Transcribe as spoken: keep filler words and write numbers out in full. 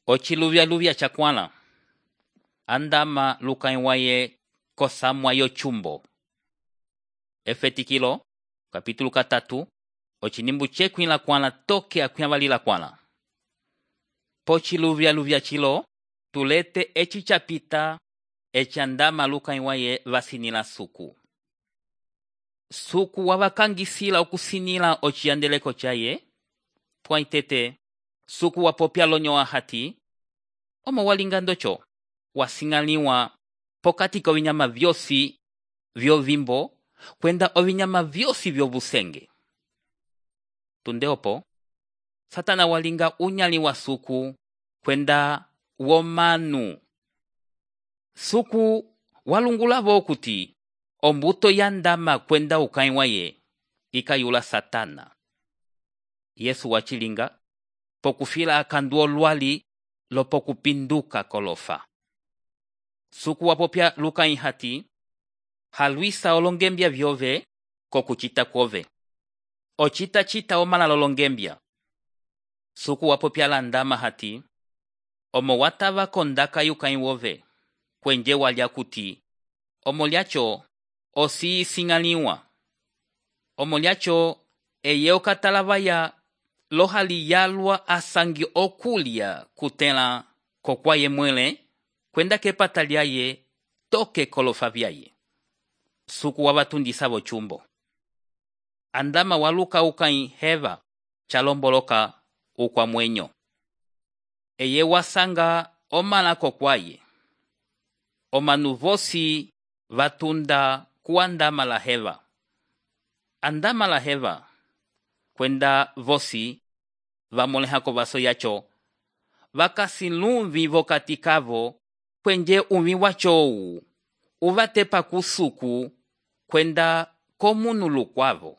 Ochiluvya-luvya chakwala. Andama lukãyi waye kosamwa yo chumbo. Efetikilo, kapítulo katatu, ochinimbu chekwila kwala toke akwyavalila kwala. Pochiluvya-luvya chilo, tulete echi chapita echi andama lukãyi waye vasinila suku. Suku wavakangisila okusinila ochiyandeleko chaye, pwaitete, suku wapopya lonyo ahati, omo walinga ndocho, wasingaliwa pokati kovinyama vyosi vyovimbo, kwenda ovinyama vyosi vyovusenge. Tunde opo, Satana walinga unyali wa suku, kwenda womanu. Suku walungulavo kuti, ombuto yandama kwenda ukãyi waye, ikayula Satana. Yesu wachilinga, pokufila akanduo lwali, lopokupinduka kolofa. Suku wapopya lukãyi hati, halwisa olongembya vyove, kokuchita kwove. Ochita chita omala lolongembya. Suku wapopya landama hati, omo watava kondaka yukãyi wove, kwenje walya kuti, omo lyacho osi singaliwa. Omo lyacho eye okatalavaya lohali yalwa asangi okulya kutela kokwaye mwele, kwenda kepata lyaye toke kolofa vyaye. Suku wavatundisa vo chumbo. Andama waluka ukãyi heva chalomboloka ukwa mwenyo. Eye wasanga omala kokwaye. Omanu vosi vatunda kuandama la heva. Andama la heva, kwenda vosi vamolehako vaso yacho, vakasilumvi vokati kavo, kwenje umi wacho uvatepa kusuku, kwenda komunu lukwavo.